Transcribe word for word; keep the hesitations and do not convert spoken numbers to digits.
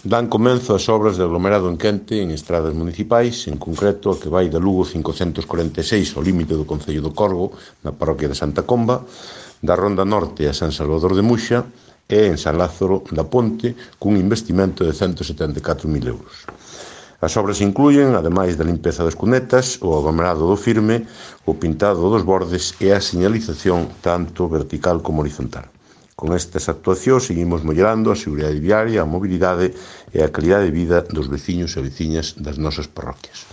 Dan comenzo as obras de aglomerado en Quente en estradas municipais, en concreto a que vai da Lugo cincocentos corenta e seis ao límite do concello do Corgo, na parroquia de Santa Comba, da Ronda Norte a San Salvador de Muxa e en San Lázaro da Ponte, cun investimento de cento setenta e catro mil euros. As obras incluyen, ademais da limpeza das cunetas, o aglomerado do firme, o pintado dos bordes e a señalización tanto vertical como horizontal. Con estas actuacións seguimos mellorando a seguridade viaria, a mobilidade e a calidade de vida dos veciños e veciñas das nosas parroquias.